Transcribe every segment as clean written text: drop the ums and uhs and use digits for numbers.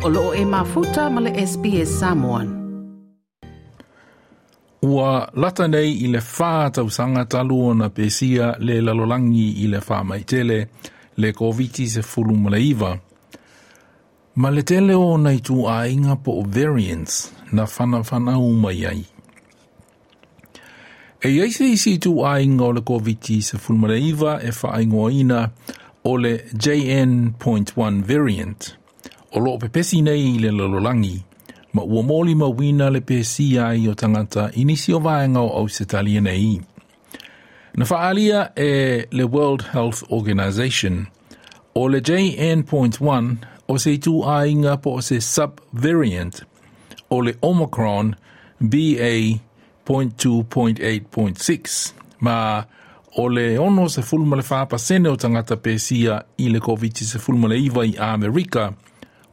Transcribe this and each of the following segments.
O loo e mafuta ma le SBS Samoan. Ua lata nei i le 4 tausaga talu ona pesia le lalolagi i le faamaitele le Koviti-19. Ma le tele o ona ituaiga po o variants na whanawhanau mai ai. E iai se isi ituaiga o le Koviti-19 e whaingoaina o le JN.1 variant. O loo pepesi nei i le lalolagi, ma ua molimauina le pesia ai o tagata i nisi o vaega o Ausetalia nei. Na whaalia e le World Health Organization o le JN.1 o se ituaiga po o se subvariant o le Omicron BA.2.8.6 ma o le 64% o tagata pesia i le Covid-19 i Amerika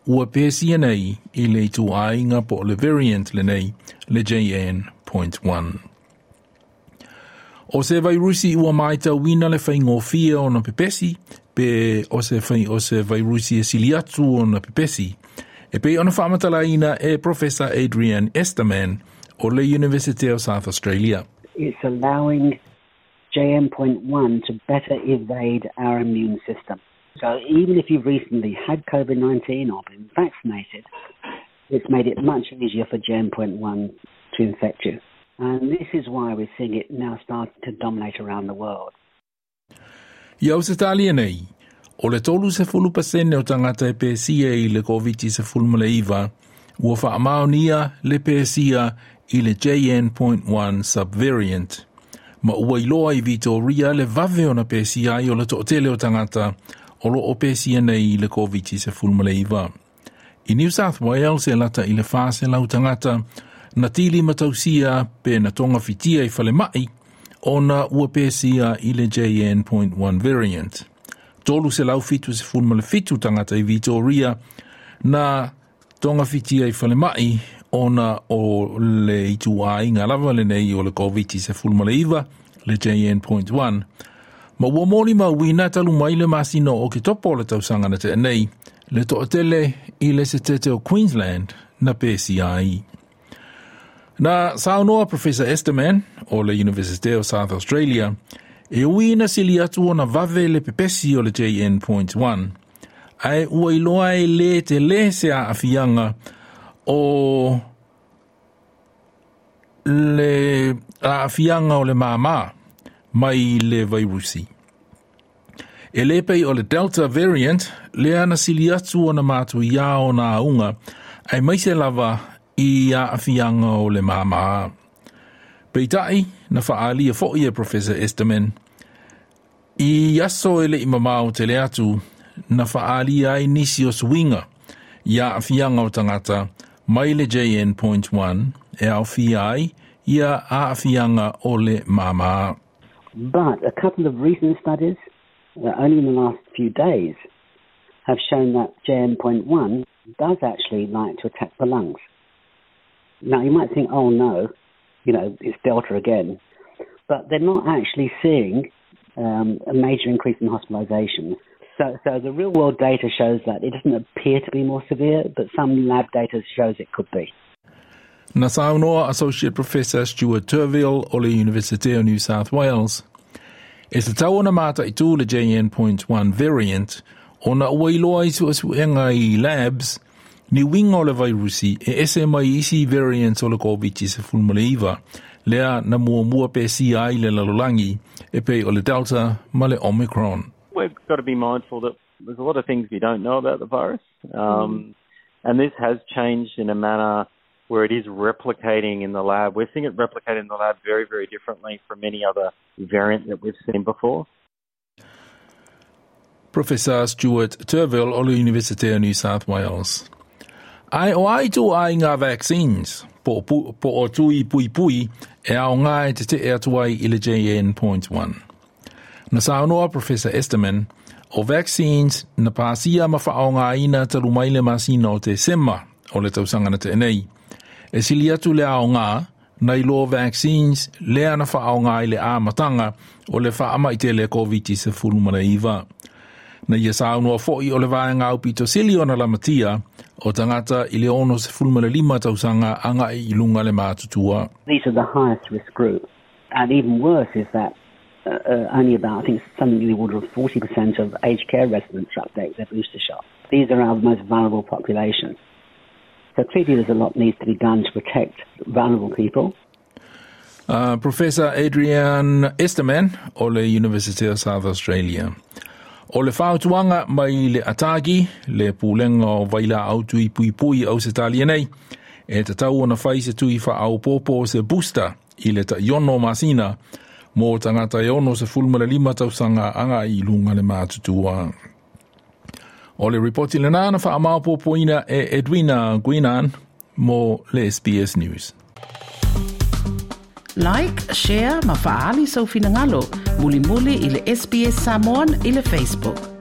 ua pesia nei i le ituaiga po o le variant lenei le JN.1. O se vairusi ua maitauina le faigofie ona pepesi, pe o se, fai, o se vairusi e sili atu ona pepesi, e pei ona faamatalaina e Professor Adrian Esterman o le University of South Australia. It's allowing JN.1 to better evade our immune system. So even if you've recently had COVID-19 or been vaccinated, it's made it much easier for JN.1 to infect you. And this is why we're seeing it now start to dominate around the world. I Ausetalia nei, o le 30% o tagata e pesia i le Covid-19 ua faamaonia le pesia i le JN.1 subvariant. Ma ua iloa i Victoria le vave ona pesia ai o le toatele o tagata o lo o pesia nei i le Covid-19. I New South Wales e lata i le 400 tagata na tili matausia pe na togafitia i falemai ona ua pesia i le JN.1 variant. 377 tagata i Victoria na togafitia i falemai ona o le ituaiga lava lenei o le Covid-19 le JN.1. Ma ua molimauina talu mai le masina o Oketopa o le tausaga na tea nei, le toatele i le setete o Queensland na pesia ai. Na saunoa Professor Esterman o le University of South Australia e ui na sili atu ona vave le pepesi o le JN.1, ae ua iloa e le tele se aafiaga o le aafiaga o le māmā mai le vairusi. E le pei o le Delta variant, lea na sili atu ona matuia ona auga, aemaise lava i aafiaga o le māmā. Peitai, na faaalia foi e Professor Esterman, i aso e le i mamao tele atu, na faaalia ai nisi o suiga i aafiaga o tagata mai le JN.1 e aofia ai ia aafiaga o le māmā. But a couple of recent studies, only in the last few days, have shown that JN.1 does actually like to attack the lungs. Now, you might think, oh no, it's Delta again. But they're not actually seeing a major increase in hospitalizations. So the real world data shows that it doesn't appear to be more severe, but some lab data shows it could be. Na saunoa Associate Professor Stuart Turville o le University of New South Wales. E tatau ona mataitu le JN.1 variant ona ua iloa i suesuega i labs ni uiga o le vairusi e ese mai isi variants o le Covid-19 lea na muamua pesia ai le lalolagi e pei o le Delta ma le Omicron. We've got to be mindful that there's a lot of things we don't know about the virus. And this has changed in a manner where it is replicating in the lab. We're seeing it replicate in the lab very, very differently from any other variant that we've seen before. Professor Stuart Turville o le University of New South Wales. Ae o a ituaiga vaccines po, po o tui puipui e aoga e tetee atu ai i le JN.1. Na saunoa Professor Esterman o vaccines na pasia ma faaaogaina talu mai le masina o Tesema o le tausaga na tea nei. E sili atu le aoga nai lo vaccines lea na faaaoga i le amataga o le faamai tele Covid-19. Na ia saunoa fo'i o le vaega aupito sili ona lamatia o tagata i le 65 tausaga agai i luga le matutua. These are the highest risk group. And even worse is that only about, I think, something in the order of 40% of aged care residents are up to date with their booster shot. These are our most vulnerable population. So clearly there's a lot needs to be done to protect vulnerable people. Professor Adrian Esterman o le University of South Australia. O le fautuaga mai le ATAGI, le pulega o vailaau tui puipui Ausetalia nei, e tatau ona fai se tui faaopoopo se booster i le 16 masina mo tagata e 65 tausaga agai i luga le matutua. O le ripoti lena na faamaopoopoina e Edwina Guinan mo le SBS News. Like, share ma faaali sou finagalo. Mulimuli i le SBS Samoan i le Facebook.